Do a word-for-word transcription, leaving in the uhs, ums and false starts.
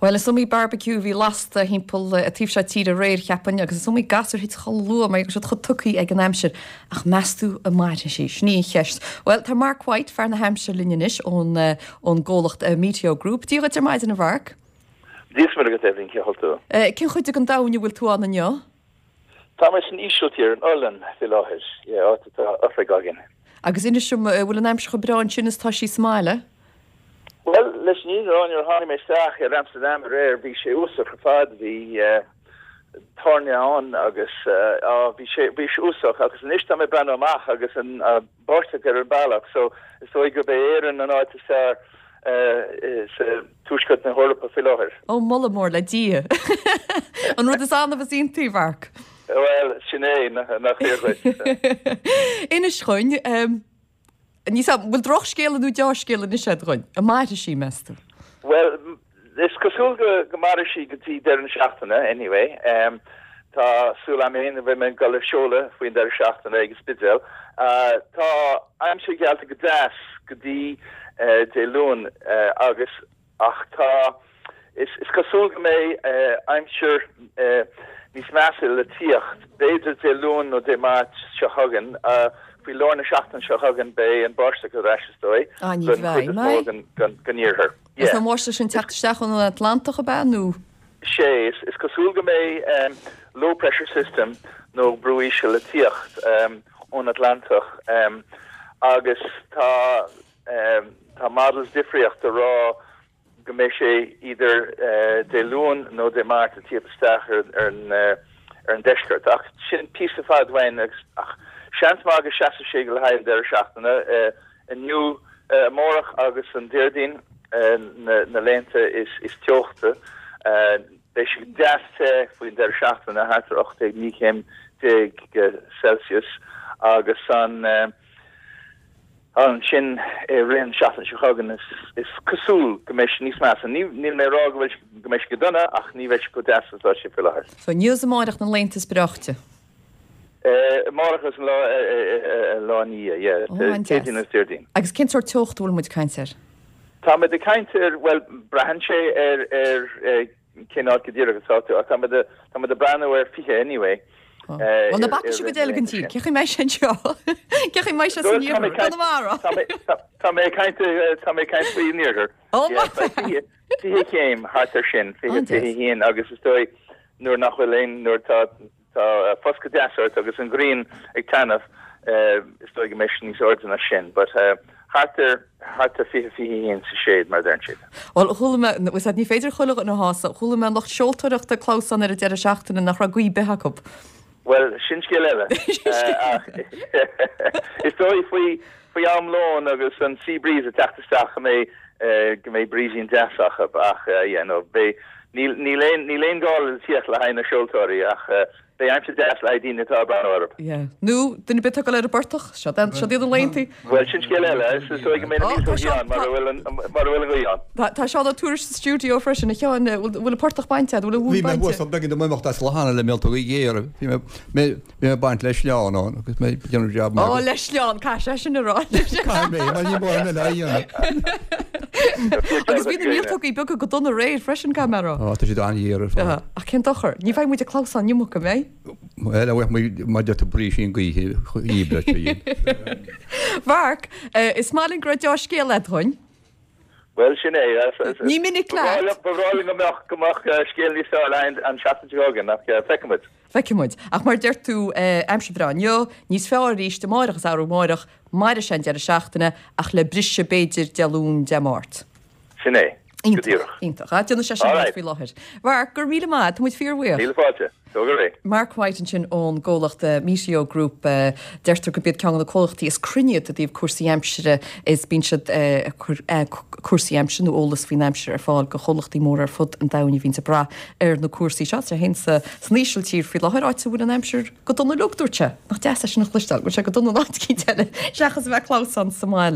Bhuel is iomaí barbecue a bhí lasta thimpeall an taobh seo tíre aréir cheapfainn agus is iomaí gasúr a thit chomh luath mar go raibh siad chomh tugtha ag an aimsir. Ach meas tú an mairfidh sí? Sin í an cheist. Bhuel tá Mark White fear na haimsire linn anois ón ón gcomhlacht Meteo Group. Dia dhuit ar maidin a Mhark. Dia is Muire dhuit Eibhlín cén chaoi a bhfuil tú. Cén chuid den domhan a bhfuil tú ann inniu? Tá mé san Ísiltír in Ollainn faoi láthair, áit atá oifig againn. Agus inis dom an bhfuil an aimsir chomh breá ansin is tá sí sa mbaile? Bhuel, leis an fhírinne a rá, nuair a tháinig mé isteach ar Amsterdam aréir, bhí sé uafásach ar fad, bhí toirne ann agus bhí sé bhí sé uafásach agus anois tá mé ag breathnú amach agus an báisteach ar an bealach, so is dóigh gurb é Éirinn an áit is fearr sa tuaisceart na hEorpa faoi láthair. Ó, moladh mór le Dia! An rud is annamh is iontaí, Mhark. Bhuel, sin é, nach fíor dhuit. Inis dúinn, Ní sa bhfuil drochscéala nó dea-scéala anois agat dúinn, an mairfidh sí meas tú? Well, is cosúil go go mairfidh sí go dtí deireadh na seachtaine anyway. Um, tá súil agam féin a bheith mé ag dul ar seoladh faoin deireadh seachtaine ag an Spidéal. Uh, tá aimsir geallta go deas go dtí uh, Dé Luain uh, agus ach tá is, is cosúil go mbeidh uh, aimsir uh, níos measa le tíocht, b'fhéidir Dé Luain nó Dé Máirt seo chugainn, uh, faoi lár na seachtaine seo chugainn beidh an báisteach ar ais is dóigh Ah, ní bheidh mé. den iarthar. Is an bháisteach sin teacht isteach ón Atlantach ab ea nó? Sé is, is cosúil go mbeidh um, low pressure system nó brú íseal le tíocht um, ón Atlantach um, agus tá um, tá models difríochta ag rá go mbeidh sé idir uh, Dé Luain nó Dé Máirt a tíocht isteach ar, ar, an, uh, ar an deisceart ach sin píosa fada uainn agus ach seans maith go seasfaidh sé go le haghaidh an deireadh seachtaine uh, inniu uh, amárach agus an Déardaoin uh, na, na laethanta is, is teochta uh, beidh sé deas te faoin deireadh seachtaine thart ar ocht déag naoi céim déag Celsius agus an uh, ansin i rith an seachtain seo chugainn is, is cosúil go mbeidh sé níos measa. Ní níl mé ag rá go bhfuil go mbeidh sé go dona ach ní bheidh sé go deas is atá sé faoi láthair. So inniu is amárach na laethanta is breáichte. Uh, Amárach is an lá uh, uh, lá ní Ó, an deas. Céadaoin is Déardaoin. Agus cén sórt teocht a bhfuil muid ag caint air? Tá muid ag caint ar well braitheann sé ar ar cén áit go díreach atá tú ach tá muid tá muid ag breathnú ar fiche anyway. Well na baca go deireadh an tír, cé mé sin seo? Cé mé se san iarthar? Conamara? Tá mé caint tá mé caint faoin iarthar. Ó, Fiche céim thart ar sin fiche fiche haon agus is dóigh nuair nach bhfuil aon nuair tá tá foscadh deas ort agus an ghrian ag taitneamh is dóigh go mbeidh sé níos airde ná sin, but uh, thart ar thart ar fiche fiche haon sa shade mar deireann siad. Well chuala mé ní féidir chuile dhuine a shásamh, chuala mé lucht seoltóireachta clamhsán ar an deireadh seachtaine nach raibh gaoth ar bith acu. Well sin scéal eile. Is dóigh faoi faoi am lóin agus an sea breeze ag teacht isteach go mbeidh go mbeidh breezín deas acu ach yeah, no, beidh níl níl aon níl aon gála le tíocht le haghaidh na seoltóirí ach beidh aimsir deas le haghaidh daoine atá ag breathnú orthu. Yeah. Nó duine ar bith atá ag dul ar an bportach, seo seo iad na laethanta. Well sin scéal eile is dóigh go mbeidh na Ó, mílte tá Seán- ann mar a bhfuil an mar a bhfuil an ghaoth ann. Tá tá Seán Ó Tuairisg sa stiúideo freisin a Sheáin bhfuil bhfuil an portach bainte, bhfuil an Bhí mhóin mé bainte. thuas beagán de imeacht as Lochana le míoltógaí géara. Bhí mé mé bhí mé baint le sleán ann agus mé déanamh jab Ó le sleán caithfidh sé sin a rá. Caithfidh mé mar ní mór mé le dhéanamh. Agus bhí na míoltógaí beaga go dona aréir freisin caithfidh mé a rá. Á tá siad an-ghéar ar fad. Ach cén dochar, ní bheidh muid ag clamhsán an iomarca mé. Well a bheith má de brísín gaoithe dhíbre sin. Mark, is maith linn go raibh dea-scéal agat dúinn. Well sin é Ní minic leat. Ba bhreá go mbeadh go mbeadh scéal níos fearr le an seachtain seo chugainn ach feicfimid. Feicfimid. Ach mar deir tú aimsir bhreá inniu, níos fearr arís amárach is arú amárach, mairfidh sé an deireadh seachtaine ach le briseadh b'fhéidir Dé Luain Dé Máirt. Sin é. Go Iontach, díreach. iontach. A déanfaidh sé sin All right. faoi láthair. Mark, go raibh míle maith, tá muid fíorbhuíoch. Míle fáilte. Go réidh. Mark White ansin ón gcomhlacht Meteo Group deirtear gurb iad ceann de na comhlachtaí is cruinne i dtaobh cúrsaí aimsire is bíonn siad cur cúrsaí aimsire nó eolas faoin aimsir ar fáil go chomhlachtaí móra ar fud an domhain a bhíonn ag brath ar na cúrsaí seo sé féin sa san Ísiltír faoi láthair áit a bhfuil an aimsir go dona uilig dúirt sé nach deas é sin a chloisteáil, bhfuil sé go dona áit eicínt eile seachas a bheith clamhsán sa mbaile.